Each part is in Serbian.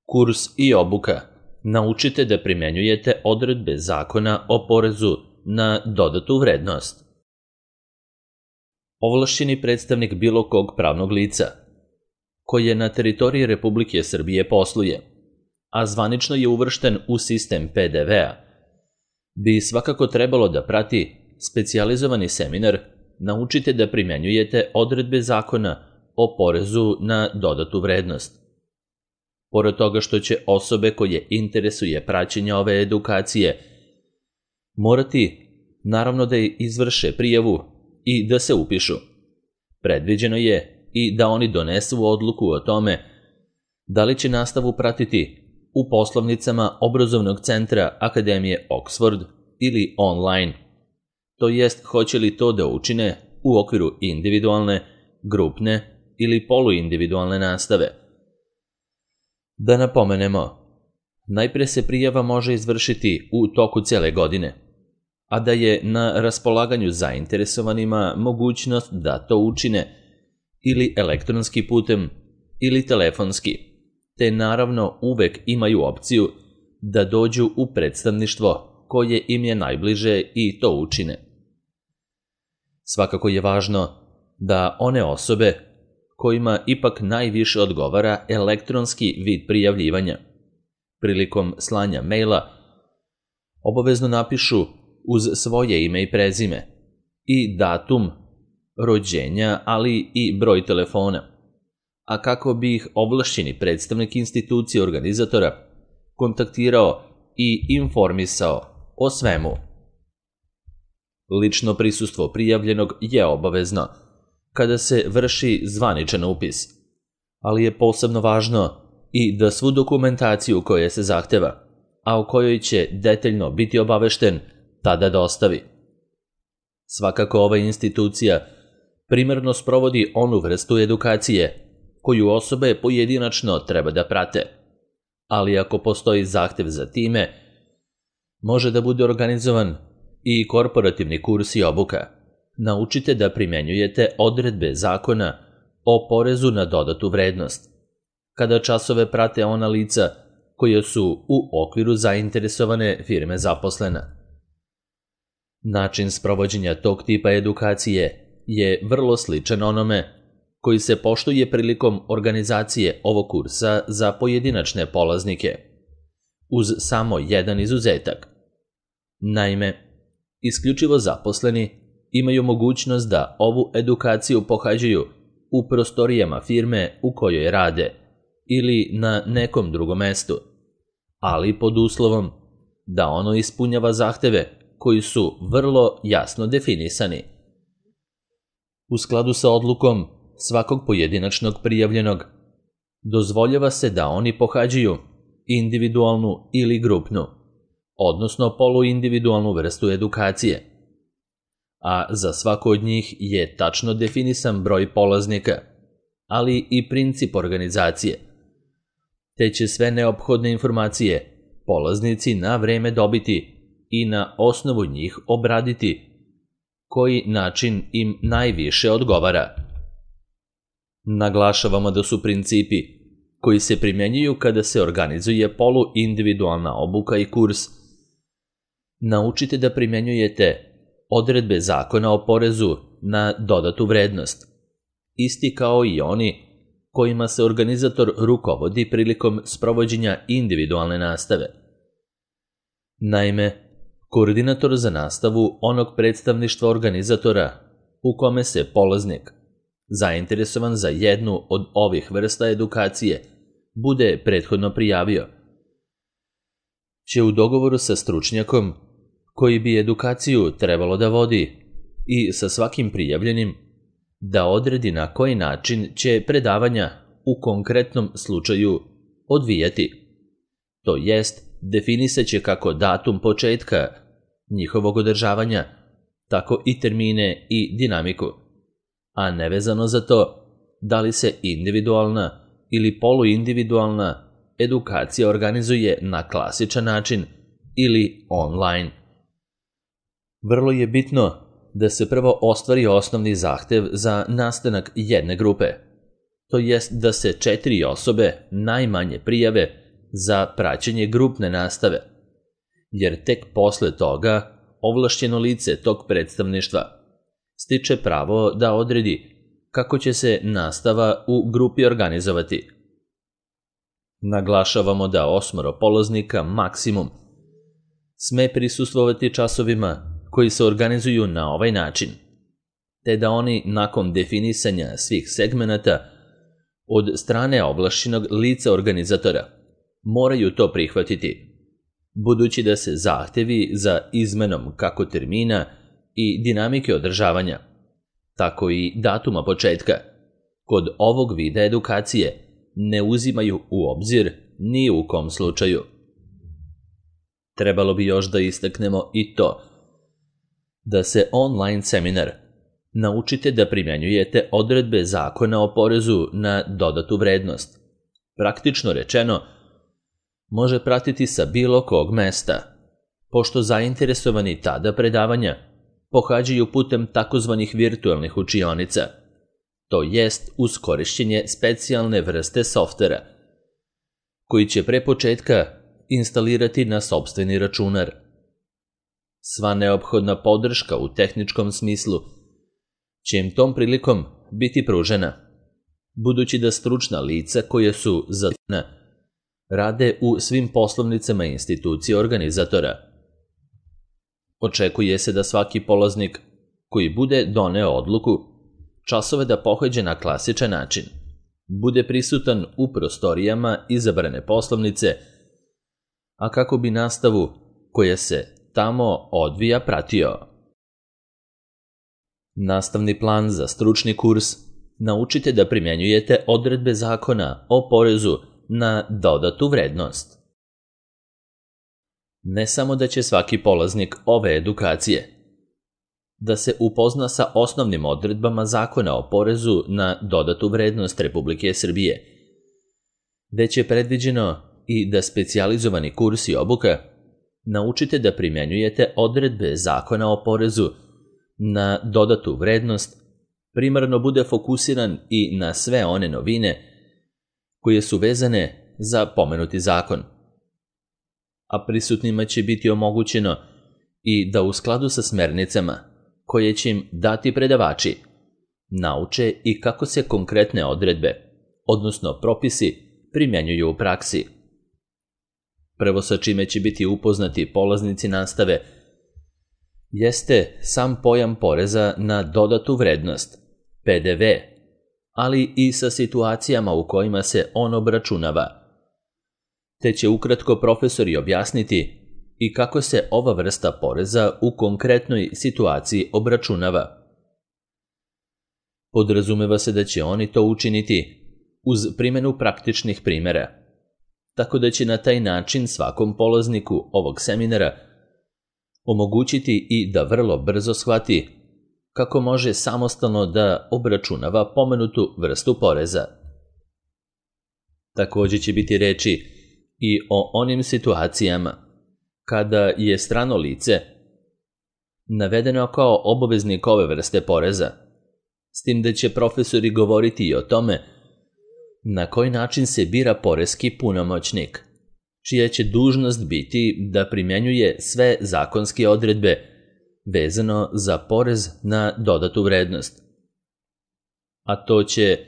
Kurs i obuka. Naučite da primenjujete odredbe Zakona o porezu na dodatu vrednost. Ovlašćeni predstavnik bilo kog pravnog lica koje na teritoriji Republike Srbije posluje, a zvanično je uvršten u sistem PDV-a, bi svakako trebalo da prati specijalizovani seminar Naučite da primenjujete odredbe Zakona o porezu na dodatu vrednost. Pored toga što će osobe koje interesuje praćenje ove edukacije morati, naravno, da izvrše prijavu i da se upišu. Predviđeno je i da oni donesu odluku o tome da li će nastavu pratiti u poslovnicama obrazovnog centra Akademije Oxford ili online, to jest hoće li to da učine u okviru individualne, grupne ili poluindividualne nastave. Da napomenemo, najpre se prijava može izvršiti u toku cele godine, a da je na raspolaganju zainteresovanima mogućnost da to učine ili elektronski putem ili telefonski, te naravno uvek imaju opciju da dođu u predstavništvo koje im je najbliže i to učine. Svakako je važno da one osobe kojima ipak najviše odgovara elektronski vid prijavljivanja, prilikom slanja maila obavezno napišu uz svoje ime i prezime i datum rođenja, ali i broj telefona, a kako bi ih ovlašćeni predstavnik institucije organizatora kontaktirao i informisao o svemu. Lično prisustvo prijavljenog je obavezno kada se vrši zvaničan upis, ali je posebno važno i da svu dokumentaciju koja se zahteva, a o kojoj će detaljno biti obavešten, tada dostavi. Svakako ova institucija primarno sprovodi onu vrstu edukacije koju osobe pojedinačno treba da prate, ali ako postoji zahtev za time, može da bude organizovan i korporativni kurs i obuka. Naučite da primenjujete odredbe Zakona o porezu na dodatu vrednost, kada časove prate ona lica koja su u okviru zainteresovane firme zaposlena. Način sprovođenja tog tipa edukacije je vrlo sličan onome koji se poštuje prilikom organizacije ovog kursa za pojedinačne polaznike, uz samo jedan izuzetak. Naime, isključivo zaposleni imaju mogućnost da ovu edukaciju pohađaju u prostorijama firme u kojoj rade ili na nekom drugom mestu, ali pod uslovom da ono ispunjava zahteve koji su vrlo jasno definisani. U skladu sa odlukom svakog pojedinačnog prijavljenog, dozvoljava se da oni pohađaju individualnu ili grupnu, odnosno poluindividualnu vrstu edukacije, a za svako od njih je tačno definisan broj polaznika, ali i princip organizacije, te će sve neophodne informacije polaznici na vreme dobiti i na osnovu njih obraditi koji način im najviše odgovara. Naglašavamo da su principi koji se primenjuju kada se organizuje poluindividualna obuka i kurs Naučite da primenjujete odredbe Zakona o porezu na dodatu vrednost, isti kao i oni kojima se organizator rukovodi prilikom sprovođenja individualne nastave. Naime, koordinator za nastavu onog predstavništva organizatora u kome se polaznik, zainteresovan za jednu od ovih vrsta edukacije, bude prethodno prijavio, će u dogovoru sa stručnjakom koji bi edukaciju trebalo da vodi i sa svakim prijavljenim da odredi na koji način će predavanja u konkretnom slučaju odvijati. To jest, definisaće kako datum početka njihovog održavanja, tako i termine i dinamiku, a nevezano za to da li se individualna ili poluindividualna edukacija organizuje na klasičan način ili online. Vrlo je bitno da se prvo ostvari osnovni zahtev za nastanak jedne grupe, to jest da se 4 osobe najmanje prijave za praćenje grupne nastave, jer tek posle toga ovlašćeno lice tog predstavništva stiče pravo da odredi kako će se nastava u grupi organizovati. Naglašavamo da 8 polaznika maksimum sme prisustvovati časovima koji se organizuju na ovaj način, te da oni nakon definisanja svih segmenata od strane ovlašćenog lica organizatora moraju to prihvatiti, budući da se zahtevi za izmenom kako termina i dinamike održavanja, tako i datuma početka, kod ovog vida edukacije ne uzimaju u obzir ni u kom slučaju. Trebalo bi još da istaknemo i to da se online seminar naučite da primjenjujete odredbe Zakona o porezu na dodatu vrednost. Praktično rečeno, može pratiti sa bilo kog mesta, pošto zainteresovani tada predavanja pohađaju putem takozvanih virtualnih učionica, to jest uz korišćenje specijalne vrste softvera, koji će pre početka instalirati na sopstveni računar. Sva neophodna podrška u tehničkom smislu će im tom prilikom biti pružena, budući da stručna lica koja su zadužena rade u svim poslovnicama institucije organizatora. Očekuje se da svaki polaznik koji bude doneo odluku časove da pohađa na klasičan način bude prisutan u prostorijama izabrane poslovnice, a kako bi nastavu koja se tamo odvija pratio. Nastavni plan za stručni kurs naučite da primjenjujete odredbe Zakona o porezu na dodatu vrednost. Ne samo da će svaki polaznik ove edukacije da se upozna sa osnovnim odredbama Zakona o porezu na dodatu vrednost Republike Srbije, već je predviđeno i da specijalizovani kurs i obuka naučite da primjenjujete odredbe Zakona o porezu na dodatu vrednost primarno bude fokusiran i na sve one novine koje su vezane za pomenuti zakon. A prisutnima će biti omogućeno i da u skladu sa smernicama koje će im dati predavači nauče i kako se konkretne odredbe, odnosno propisi, primjenjuju u praksi. Prvo sa čime će biti upoznati polaznici nastave jeste sam pojam poreza na dodatu vrednost, PDV, ali i sa situacijama u kojima se on obračunava, te će ukratko profesori objasniti i kako se ova vrsta poreza u konkretnoj situaciji obračunava. Podrazumeva se da će oni to učiniti uz primjenu praktičnih primjera, tako da će na taj način svakom polazniku ovog seminara omogućiti i da vrlo brzo shvati kako može samostalno da obračunava pomenutu vrstu poreza. Također će biti reči i o onim situacijama kada je strano lice navedeno kao obaveznik ove vrste poreza, s tim da će profesori govoriti i o tome na koji način se bira poreski punomoćnik, čija će dužnost biti da primjenjuje sve zakonske odredbe vezano za porez na dodatu vrednost. A to će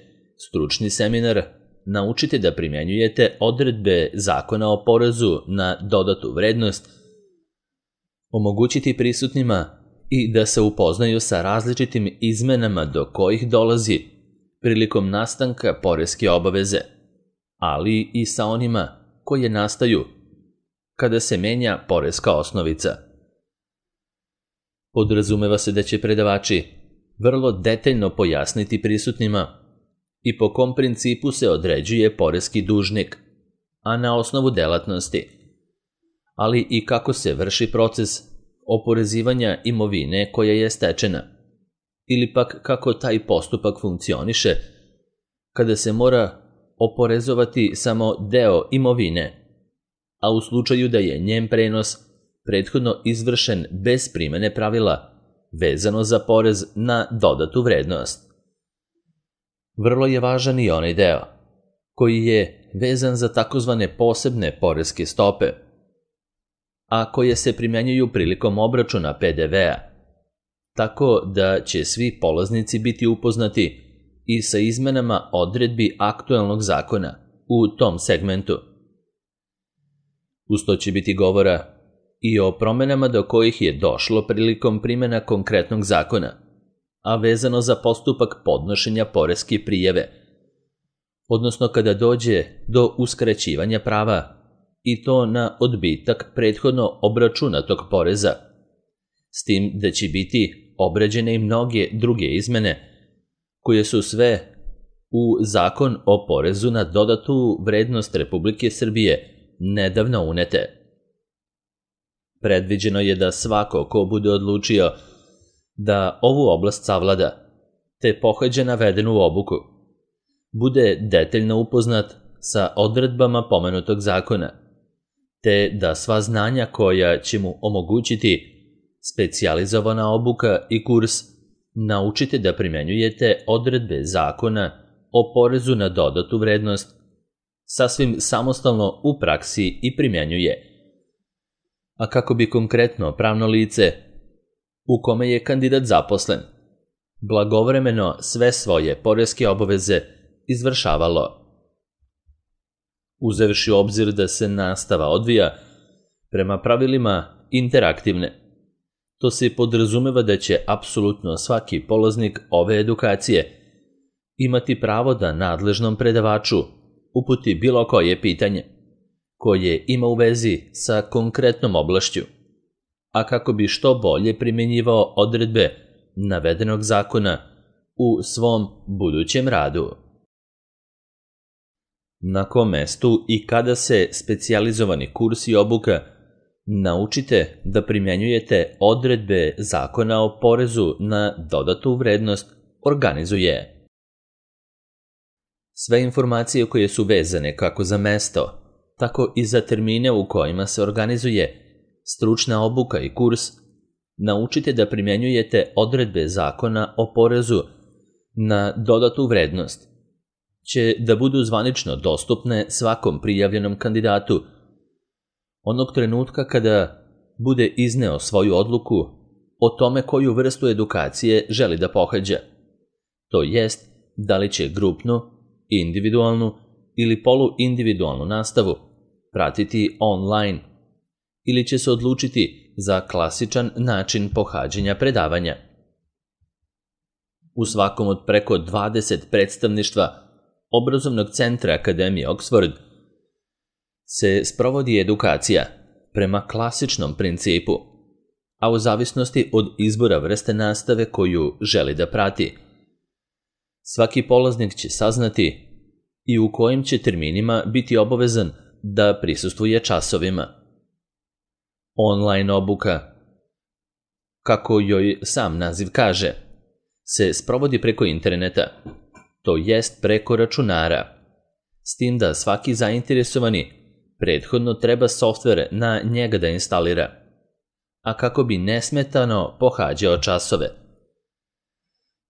stručni seminar naučite da primjenjujete odredbe Zakona o porezu na dodatu vrednost, omogućiti prisutnima i da se upoznaju sa različitim izmenama do kojih dolazi prilikom nastanka poreske obaveze, ali i sa onima koje nastaju kada se menja poreska osnovica. Podrazumeva se da će predavači vrlo detaljno pojasniti prisutnima i po kom principu se određuje poreski dužnik, a na osnovu delatnosti, ali i kako se vrši proces oporezivanja imovine koja je stečena, ili pak kako taj postupak funkcioniše kada se mora oporezovati samo deo imovine, a u slučaju da je njen prenos prethodno izvršen bez primene pravila vezano za porez na dodatu vrednost. Vrlo je važan i onaj deo koji je vezan za takozvane posebne poreske stope, a koje se primjenjuju prilikom obračuna PDV-a, tako da će svi polaznici biti upoznati i sa izmenama odredbi aktuelnog zakona u tom segmentu. Uz to će biti govora i o promenama do kojih je došlo prilikom primjena konkretnog zakona, a vezano za postupak podnošenja poreske prijave, odnosno kada dođe do uskraćivanja prava, i to na odbitak prethodno obračunatog poreza, s tim da će biti obrađene i mnoge druge izmene, koje su sve u Zakon o porezu na dodatu vrednost Republike Srbije nedavno unete. Predviđeno je da svako ko bude odlučio da ovu oblast savlada, te pohađa navedenu obuku, bude detaljno upoznat sa odredbama pomenutog zakona, te da sva znanja koja će mu omogućiti specijalizovana obuka i kurs naučite da primjenjujete odredbe zakona o porezu na dodatu vrednost sasvim samostalno u praksi i primjenjuje, a kako bi konkretno pravno lice u kome je kandidat zaposlen blagovremeno sve svoje poreske obaveze izvršavalo. Uzevši u obzir da se nastava odvija prema pravilima interaktivne, to se podrazumeva da će apsolutno svaki polaznik ove edukacije imati pravo da nadležnom predavaču uputi bilo koje pitanje koje ima u vezi sa konkretnom oblašću, a kako bi što bolje primjenjivao odredbe navedenog zakona u svom budućem radu. Na kom mestu i kada se specijalizovani kurs i obuka naučite da primjenjujete odredbe zakona o porezu na dodatu vrednost organizuje. Sve informacije koje su vezane kako za mesto, tako i za termine u kojima se organizuje stručna obuka i kurs, naučite da primjenjujete odredbe zakona o porezu na dodatu vrednost, će da budu zvanično dostupne svakom prijavljenom kandidatu onog trenutka kada bude izneo svoju odluku o tome koju vrstu edukacije želi da pohađa, to jest da li će grupnu, individualnu ili poluindividualnu nastavu pratiti online ili će se odlučiti za klasičan način pohađanja predavanja. U svakom od preko 20 predstavništva Obrazovnog centra Akademije Oxford se sprovodi edukacija prema klasičnom principu, a u zavisnosti od izbora vrste nastave koju želi da prati, svaki polaznik će saznati i u kojim će terminima biti obavezan da prisustvuje časovima. Online obuka, kako joj sam naziv kaže, se sprovodi preko interneta, to jest preko računara, s tim da svaki zainteresovani prethodno treba softvere na njega da instalira, a kako bi nesmetano pohađao časove.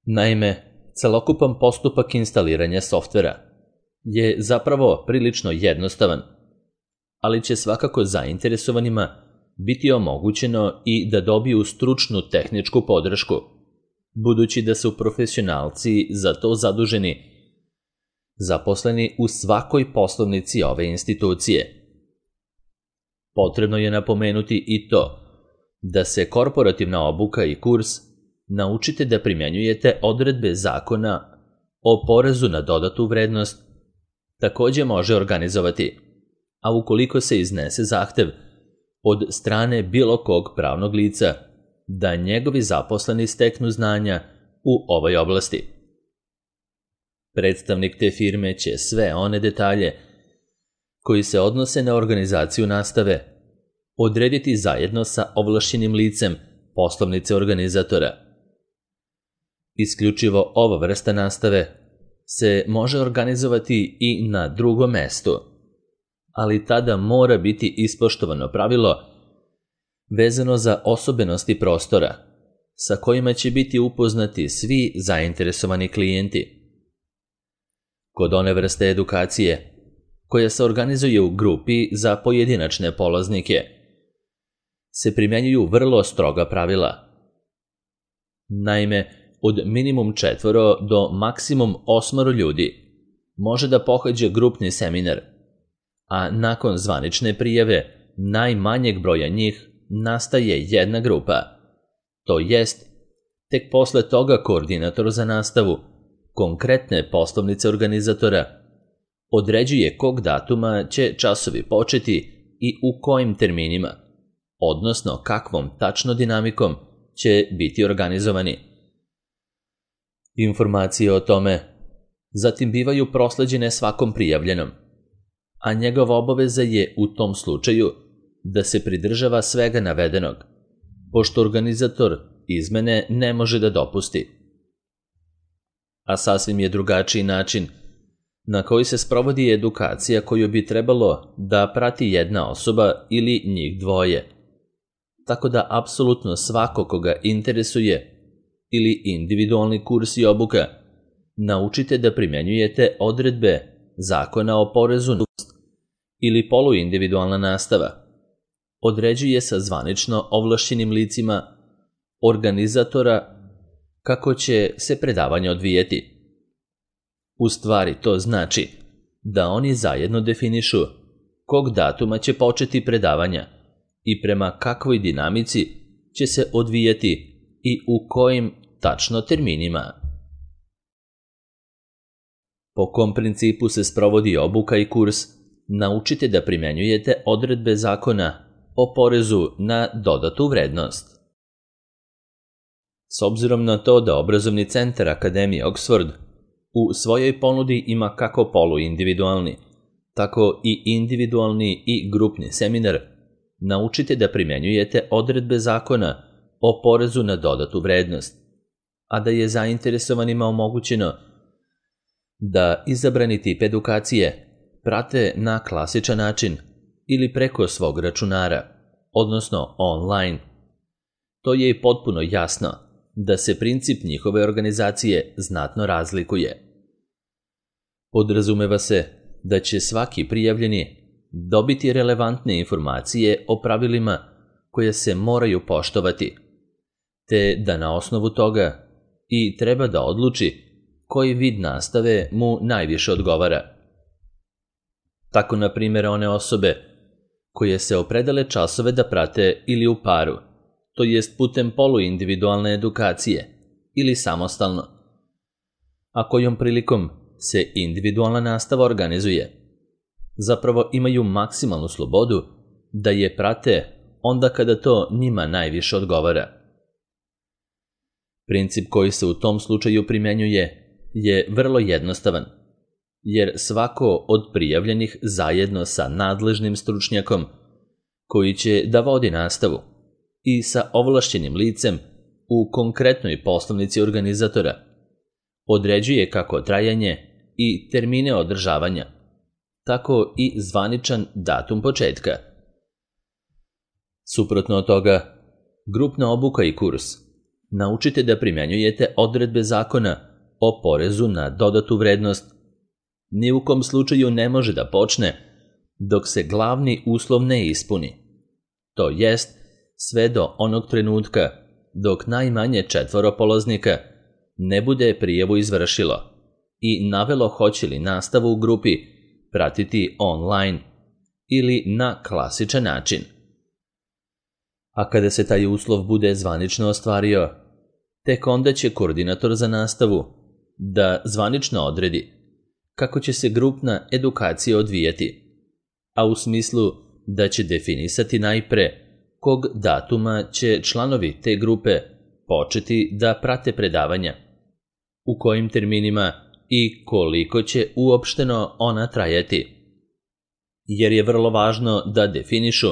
Naime, celokupan postupak instaliranja softvera je zapravo prilično jednostavan, ali će svakako zainteresovanima biti omogućeno i da dobiju stručnu tehničku podršku, budući da su profesionalci za to zaduženi, zaposleni u svakoj poslovnici ove institucije. Potrebno je napomenuti i to da se korporativna obuka i kurs naučite da primjenjujete odredbe zakona o porezu na dodatu vrednost takođe može organizovati, a ukoliko se iznese zahtev od strane bilo kog pravnog lica da njegovi zaposleni steknu znanja u ovoj oblasti. Predstavnik te firme će sve one detalje koji se odnose na organizaciju nastave odrediti zajedno sa ovlašćenim licem poslovnice organizatora. Isključivo ova vrsta nastave se može organizovati i na drugom mestu, ali tada mora biti ispoštovano pravilo vezano za osobenosti prostora, sa kojima će biti upoznati svi zainteresovani klijenti. Kod one vrste edukacije, koja se organizuje u grupi za pojedinačne polaznike, se primjenjuju vrlo stroga pravila. Naime, od minimum 4 do maksimum 8 ljudi može da pohađa grupni seminar, a nakon zvanične prijave najmanjeg broja njih nastaje jedna grupa. To jest, tek posle toga koordinator za nastavu konkretne poslovnice organizatora određuje kog datuma će časovi početi i u kojim terminima, odnosno kakvom tačno dinamikom će biti organizovani. Informacije o tome zatim bivaju prosleđene svakom prijavljenom, a njegova obaveza je u tom slučaju da se pridržava svega navedenog, pošto organizator izmene ne može da dopusti. A sasvim je drugačiji način na koji se sprovodi edukacija koju bi trebalo da prati jedna osoba ili njih dvoje. Tako da apsolutno svako koga interesuje ili individualni kurs i obuka, naučite da primjenjujete odredbe Zakona o porezu na ili poluindividualna nastava. Određuje sa zvanično ovlašćenim licima organizatora kako će se predavanje odvijeti. U stvari to znači da oni zajedno definišu kog datuma će početi predavanja i prema kakvoj dinamici će se odvijati i u kojim tačno terminima. Po kom principu se sprovodi obuka i kurs, naučite da primjenjujete odredbe Zakona o porezu na dodatu vrednost. S obzirom na to da obrazovni centar Akademije Oxford u svojoj ponudi ima kako poluindividualni, tako i individualni i grupni seminar, naučite da primjenjujete odredbe Zakona o porezu na dodatu vrednost, a da je zainteresovanima omogućeno da izabrani tip edukacije prate na klasičan način ili preko svog računara, odnosno online. To je i potpuno jasno da se princip njihove organizacije znatno razlikuje. Podrazumeva se da će svaki prijavljeni dobiti relevantne informacije o pravilima koje se moraju poštovati, te da na osnovu toga i treba da odluči koji vid nastave mu najviše odgovara. Tako, na primjer, one osobe koje se opredele časove da prate ili u paru, to jest putem poluindividualne edukacije ili samostalno, a kojom prilikom se individualna nastava organizuje, zapravo imaju maksimalnu slobodu da je prate onda kada to njima najviše odgovara. Princip koji se u tom slučaju primjenjuje je vrlo jednostavan, jer svako od prijavljenih zajedno sa nadležnim stručnjakom koji će da vodi nastavu i sa ovlašćenim licem u konkretnoj poslovnici organizatora određuje kako trajanje i termine održavanja, tako i zvaničan datum početka. Suprotno od toga, grupna obuka i kurs naučite da primjenjujete odredbe Zakona o porezu na dodatu vrednost ni u kom slučaju ne može da počne dok se glavni uslov ne ispuni. To jest, sve do onog trenutka dok najmanje 4 polaznika ne bude prijavu izvršilo i navelo hoće li nastavu u grupi pratiti online ili na klasičan način. A kada se taj uslov bude zvanično ostvario, tek onda će koordinator za nastavu da zvanično odredi kako će se grupna edukacija odvijati, a u smislu da će definisati najpre kog datuma će članovi te grupe početi da prate predavanja, u kojim terminima i koliko će uopšteno ona trajati, jer je vrlo važno da definišu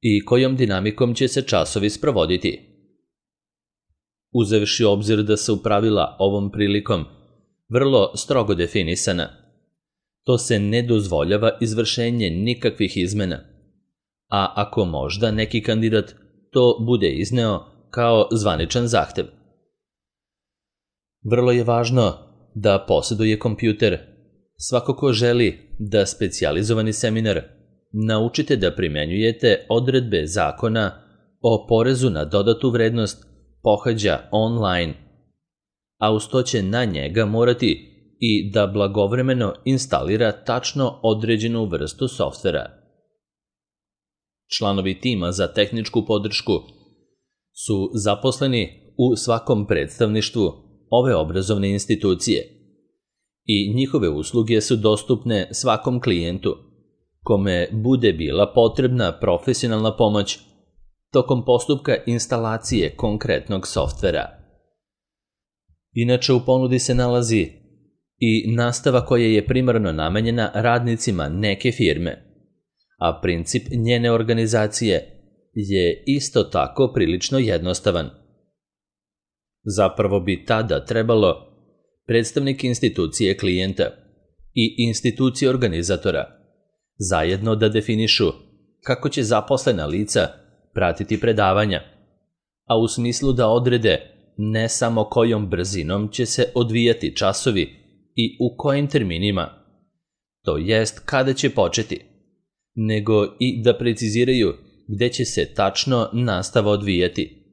i kojom dinamikom će se časovi sprovoditi. Uzevši u obzir da su pravila ovom prilikom vrlo strogo definisana, to se ne dozvoljava izvršenje nikakvih izmena, a ako možda neki kandidat to bude izneo kao zvaničan zahtev. Vrlo je važno da posjeduje kompjuter Svako ko želi da specijalizovani seminar naučite da primenjujete odredbe zakona o porezu na dodatu vrednost pohađa online, a uz to će na njega morati i da blagovremeno instalira tačno određenu vrstu softvera. Članovi tima za tehničku podršku su zaposleni u svakom predstavništvu ove obrazovne institucije i njihove usluge su dostupne svakom klijentu kome bude bila potrebna profesionalna pomoć tokom postupka instalacije konkretnog softvera. Inače, u ponudi se nalazi i nastava koja je primarno namenjena radnicima neke firme, a princip njene organizacije je isto tako prilično jednostavan. Zapravo bi tada trebalo predstavnik institucije klijenta i institucije organizatora zajedno da definišu kako će zaposlena lica pratiti predavanja, a u smislu da odrede ne samo kojom brzinom će se odvijati časovi i u kojim terminima, to jest kada će početi, nego i da preciziraju gde će se tačno nastava odvijati.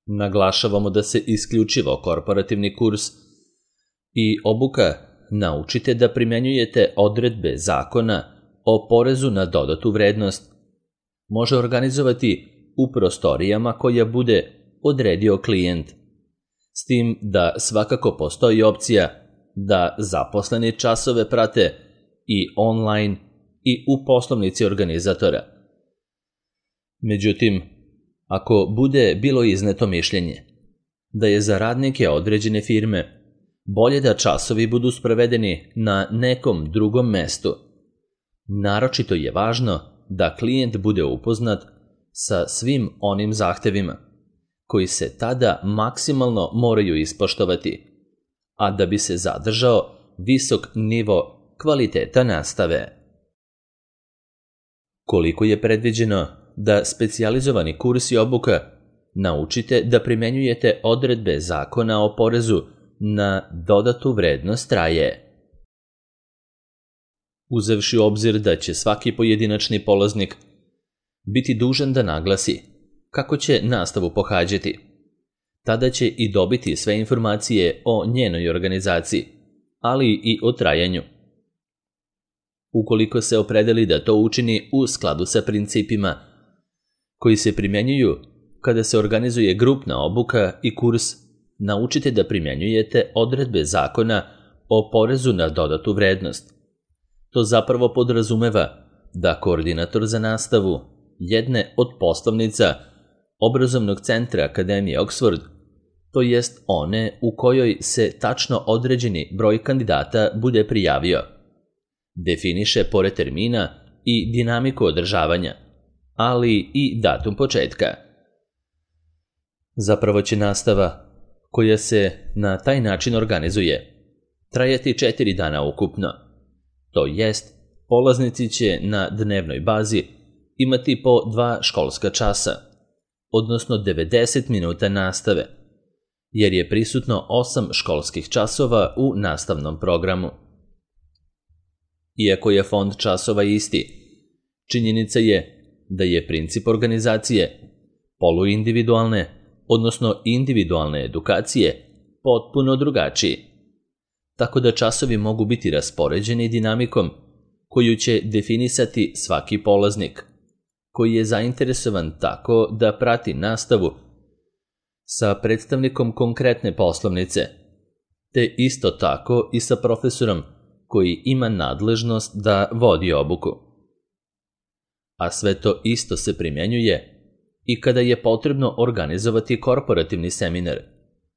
Naglašavamo da se isključivo korporativni kurs i obuka naučite da primenjujete odredbe zakona o porezu na dodatu vrednost može organizovati u prostorijama koja bude odredio klijent, s tim da svakako postoji opcija da zaposleni časove prate i online i u poslovnici organizatora. Međutim, ako bude bilo izneto mišljenje da je za radnike određene firme bolje da časovi budu sprovedeni na nekom drugom mestu, naročito je važno da klijent bude upoznat sa svim onim zahtevima koji se tada maksimalno moraju ispoštovati, a da bi se zadržao visok nivo kvaliteta nastave. Koliko je predviđeno da specijalizovani kurs i obuka naučite da primenjujete odredbe zakona o porezu na dodatu vrednost traje? Uzevši u obzir da će svaki pojedinačni polaznik biti dužan da naglasi kako će nastavu pohađati, tada će i dobiti sve informacije o njenoj organizaciji, ali i o trajanju. Ukoliko se opredeli da to učini u skladu sa principima koji se primjenjuju kada se organizuje grupna obuka i kurs, naučite da primjenjujete odredbe zakona o porezu na dodatu vrednost. To zapravo podrazumeva da koordinator za nastavu jedne od poslovnica obrazovnog centra Akademije Oxford, to jest one u kojoj se tačno određeni broj kandidata bude prijavio, definiše pored termina i dinamiku održavanja, ali i datum početka. Zapravo će nastava koja se na taj način organizuje trajati 4 dana ukupno. To jest, polaznici će na dnevnoj bazi imati po 2 školska časa, odnosno 90 minuta nastave, jer je prisutno 8 školskih časova u nastavnom programu. Iako je fond časova isti, činjenica je da je princip organizacije poluindividualne, odnosno individualne edukacije potpuno drugačiji, tako da časovi mogu biti raspoređeni dinamikom koju će definisati svaki polaznik, koji je zainteresovan tako da prati nastavu sa predstavnikom konkretne poslovnice, te isto tako i sa profesorom koji ima nadležnost da vodi obuku. A sve to isto se primjenjuje i kada je potrebno organizovati korporativni seminar.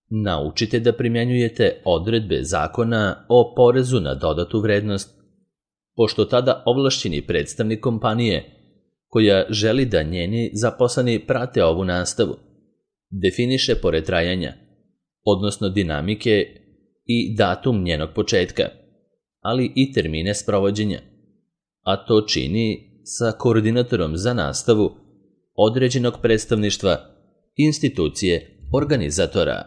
Naučite da primjenjujete odredbe zakona o porezu na dodatu vrednost, pošto tada ovlašćeni predstavnik kompanije koja želi da njeni zaposleni prate ovu nastavu definiše pored trajanja, odnosno dinamike i datum njenog početka, ali i termine sprovođenja, a to čini sa koordinatorom za nastavu određenog predstavništva institucije organizatora.